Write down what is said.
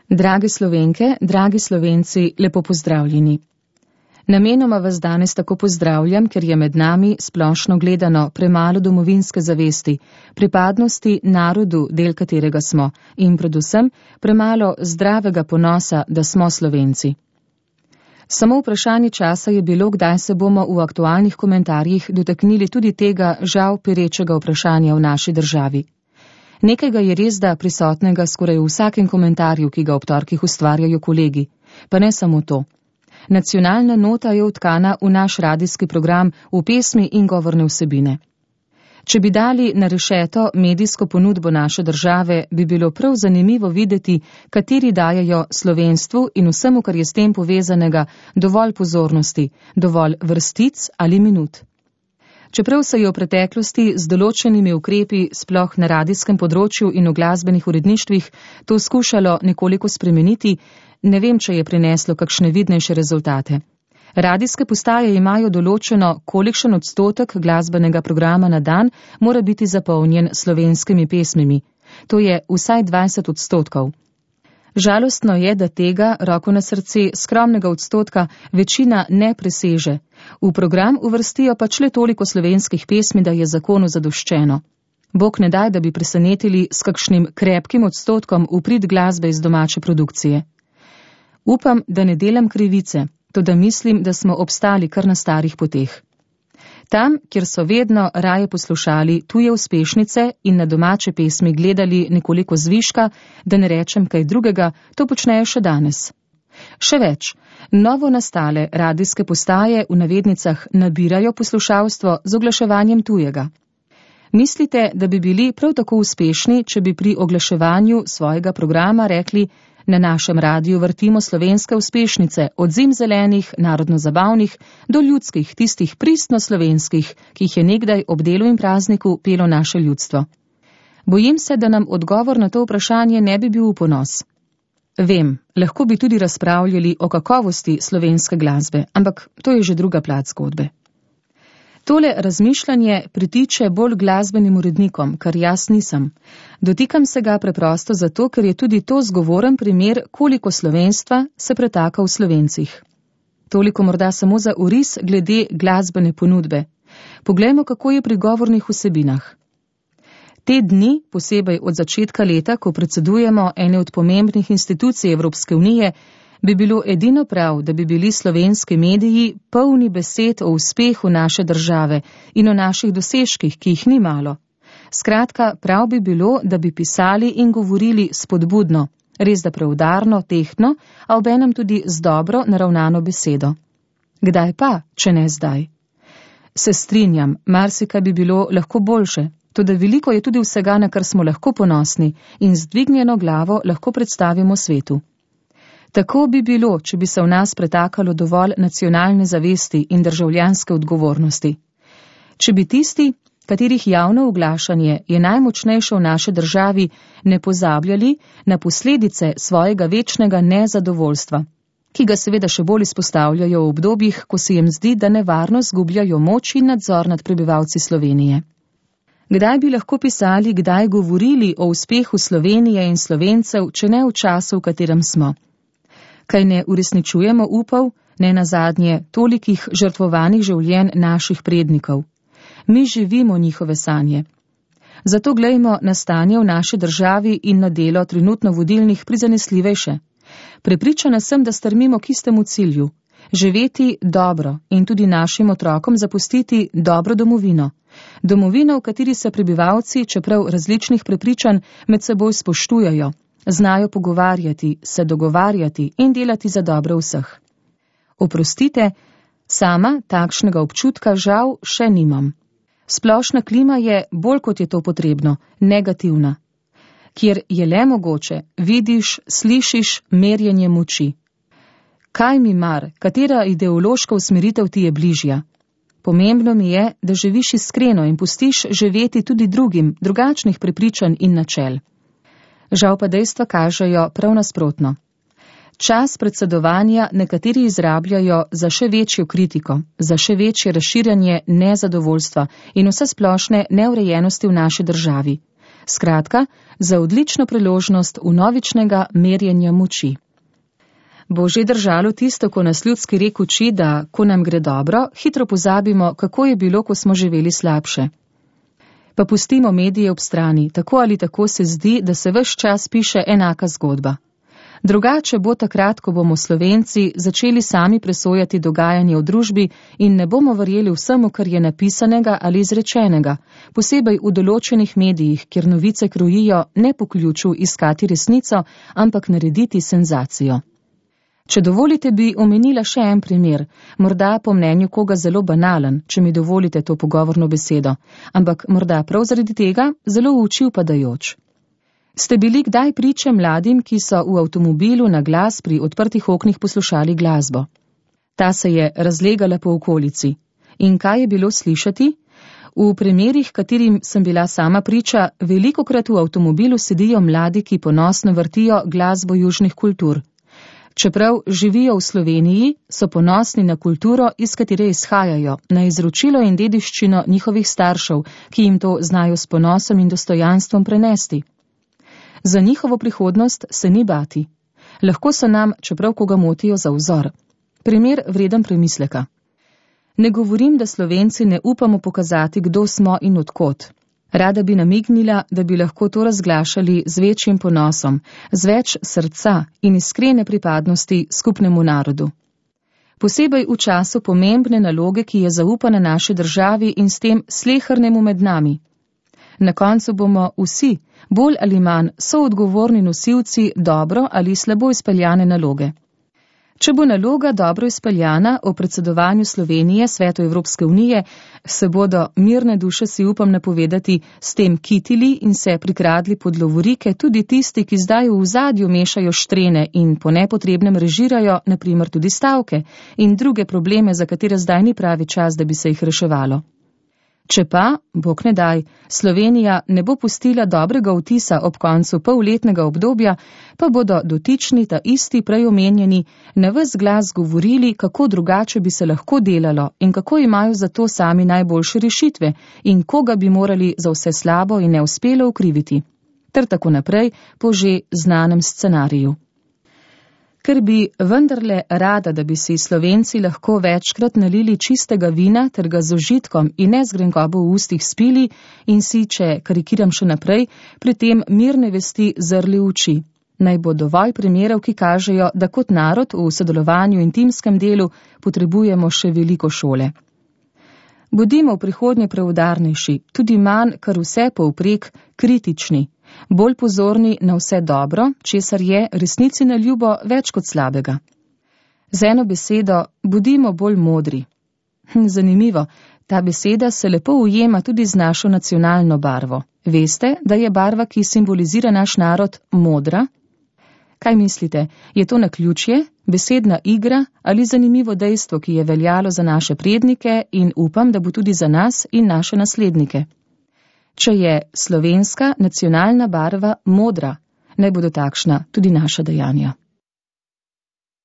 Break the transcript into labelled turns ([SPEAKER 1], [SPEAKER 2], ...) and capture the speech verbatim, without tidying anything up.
[SPEAKER 1] Drage Slovenke, dragi Slovenci, lepo pozdravljeni. Namenoma vas danes tako pozdravljam, ker je med nami splošno gledano premalo domovinske zavesti, pripadnosti narodu, del katerega smo, in predvsem premalo zdravega ponosa, da smo Slovenci. Samo vprašanje časa je bilo, kdaj se bomo v aktualnih komentarjih dotaknili tudi tega žal perečega vprašanja v naši državi. Nekaj ga je res da prisotnega skoraj v vsakem komentarju, ki ga ob torkih ustvarjajo kolegi. Pa ne samo to. Nacionalna nota je vtkana v naš radijski program v pesmi in govorne vsebine. Če bi dali na rešeto medijsko ponudbo naše države, bi bilo prav zanimivo videti, kateri dajajo slovenstvu in vsemu, kar je s tem povezanega, dovolj pozornosti, dovolj vrstic ali minut. Čeprav se je v preteklosti z določenimi ukrepi, sploh na radijskem področju in v glasbenih uredništvih, to skušalo nekoliko spremeniti, ne vem, če je prineslo kakšne vidnejše rezultate. Radijske postaje imajo določeno, kolikšen odstotek glasbenega programa na dan mora biti zapolnjen slovenskimi pesmimi. To je vsaj dvajset odstotkov. Žalostno je, da tega, roko na srce, skromnega odstotka večina ne preseže. V program uvrstijo pač le toliko slovenskih pesmi, da je zakonu zadoščeno. Bog ne daj, da bi presenetili s kakšnim krepkim odstotkom v prid glasbe iz domače produkcije. Upam, da ne delam krivice, toda mislim, da smo obstali kar na starih poteh. Tam, kjer so vedno raje poslušali tuje uspešnice in na domače pesmi gledali nekoliko zviška, da ne rečem kaj drugega, to počnejo še danes. Še več, novo nastale radijske postaje v navednicah nabirajo poslušalstvo z oglaševanjem tujega. Mislite, da bi bili prav tako uspešni, če bi pri oglaševanju svojega programa rekli: na našem radiju vrtimo slovenske uspešnice, od zim zelenih, narodno-zabavnih, do ljudskih, tistih pristno slovenskih, ki jih je nekdaj ob delu in prazniku pelo naše ljudstvo. Bojim se, da nam odgovor na to vprašanje ne bi bil v ponos. Vem, lahko bi tudi razpravljali o kakovosti slovenske glasbe, ampak to je že druga plat zgodbe. Tole razmišljanje pritiče bolj glasbenim urednikom, kar jaz nisem. Dotikam se ga preprosto zato, ker je tudi to zgovoren primer, koliko slovenstva se pretaka v Slovencih. Toliko morda samo za oris glede glasbene ponudbe. Poglejmo, kako je pri govornih vsebinah. Te dni, posebej od začetka leta, ko predsedujemo ene od pomembnih institucij Evropske unije, bi bilo edino prav, da bi bili slovenski mediji polni besed o uspehu naše države in o naših dosežkih, ki jih ni malo. Skratka, prav bi bilo, da bi pisali in govorili spodbudno, res da preudarno, tehtno, a obenem tudi z dobro naravnano besedo. Kdaj pa, če ne zdaj? Se strinjam, marsikaj bi bilo lahko boljše, toda veliko je tudi vsega, na kar smo lahko ponosni in z dvignjeno glavo lahko predstavimo svetu. Tako bi bilo, če bi se v nas pretakalo dovolj nacionalne zavesti in državljanske odgovornosti. Če bi tisti, katerih javno oglašanje je najmočnejše v naši državi, ne pozabljali na posledice svojega večnega nezadovoljstva, ki ga seveda še bolj izpostavljajo v obdobjih, ko se jim zdi, da nevarno zgubljajo moč in nadzor nad prebivalci Slovenije. Kdaj bi lahko pisali, kdaj govorili o uspehu Slovenije in Slovencev, če ne v času, v katerem smo? Kaj ne uresničujemo upov, ne nazadnje tolikih žrtvovanih življenj naših prednikov. Mi živimo njihove sanje. Zato glejmo na stanje v naši državi in na delo trenutno vodilnih prizanesljivejše. Prepričana sem, da strmimo k istemu cilju. Živeti dobro in tudi našim otrokom zapustiti dobro domovino. Domovino, v kateri se prebivalci, čeprav različnih prepričanj, med seboj spoštujajo. Znajo pogovarjati, se dogovarjati in delati za dobro vseh. Oprostite, sama takšnega občutka žal še nimam. Splošna klima je, bolj kot je to potrebno, negativna. Kjer je le mogoče, vidiš, slišiš merjenje moči. Kaj mi mar, katera ideološka usmeritev ti je bližja? Pomembno mi je, da živiš iskreno in pustiš živeti tudi drugim, drugačnih prepričanj in načel. Žal pa dejstva kažejo prav nasprotno. Čas predsedovanja nekateri izrabljajo za še večjo kritiko, za še večje razširjanje nezadovoljstva in vse splošne neurejenosti v naši državi. Skratka, za odlično priložnost vnovičnega merjenja moči. Bo že držalo tisto, ko nas ljudski rek uči, da, ko nam gre dobro, hitro pozabimo, kako je bilo, ko smo živeli slabše. Pa pustimo medije ob strani, tako ali tako se zdi, da se ves čas piše enaka zgodba. Drugače bo takrat, ko bomo Slovenci začeli sami presojati dogajanje v družbi in ne bomo verjeli vsemu, kar je napisanega ali izrečenega, posebej v določenih medijih, kjer novice krojijo ne po ključu iskati resnico, ampak narediti senzacijo. Če dovolite, bi omenila še en primer, morda po mnenju koga zelo banalen, če mi dovolite to pogovorno besedo, ampak morda prav zaradi tega zelo v oči upadajoč. Ste bili kdaj priče mladim, ki so v avtomobilu na glas pri odprtih oknih poslušali glasbo? Ta se je razlegala po okolici. In kaj je bilo slišati? V primerih, katerim sem bila sama priča, velikokrat v avtomobilu sedijo mladi, ki ponosno vrtijo glasbo južnih kultur. Čeprav živijo v Sloveniji, so ponosni na kulturo, iz katere izhajajo, na izročilo in dediščino njihovih staršev, ki jim to znajo s ponosom in dostojanstvom prenesti. Za njihovo prihodnost se ni bati. Lahko so nam, čeprav koga motijo, za vzor. Primer vreden premisleka. Ne govorim, da Slovenci ne upamo pokazati, kdo smo in odkot. Rada bi namignila, da bi lahko to razglašali z večjim ponosom, z več srca in iskrene pripadnosti skupnemu narodu. Posebej v času pomembne naloge, ki je zaupana naši državi in s tem slehernemu med nami. Na koncu bomo vsi, bolj ali manj, soodgovorni nosilci dobro ali slabo izpeljane naloge. Če bo naloga dobro izpeljana o predsedovanju Slovenije Svetu Evropske unije, se bodo mirne duše, si upam napovedati, s tem kitili in se prikradli pod lovorike tudi tisti, ki zdaj v ozadju mešajo štrene in po nepotrebnem režirajo, na primer tudi stavke in druge probleme, za katere zdaj ni pravi čas, da bi se jih reševalo. Če pa, bog ne daj, Slovenija ne bo pustila dobrega vtisa ob koncu polletnega obdobja, pa bodo dotični ta isti prej omenjeni na ves glas govorili, kako drugače bi se lahko delalo in kako imajo za to sami najboljše rešitve in koga bi morali za vse slabo in neuspelo ukriviti. Ter tako naprej po že znanem scenariju. Ker bi vendarle rada, da bi si Slovenci lahko večkrat nalili čistega vina ter ga z užitkom in ne z grenkobo v ustih spili in si, če karikiram še naprej, pri tem mirne vesti zrli v oči. Naj bo dovolj primerov, ki kažejo, da kot narod v sodelovanju in timskem delu potrebujemo še veliko šole. Bodimo v prihodnje preudarnejši, tudi manj, kar vse povprek, kritični. Bolj pozorni na vse dobro, česar je resnici na ljubo več kot slabega. Z eno besedo, bodimo bolj modri. Zanimivo, ta beseda se lepo ujema tudi z našo nacionalno barvo. Veste, da je barva, ki simbolizira naš narod, modra? Kaj mislite, je to naključje, besedna igra ali zanimivo dejstvo, ki je veljalo za naše prednike in upam, da bo tudi za nas in naše naslednike? Če je slovenska nacionalna barva modra, naj bodo takšna tudi naša dejanja.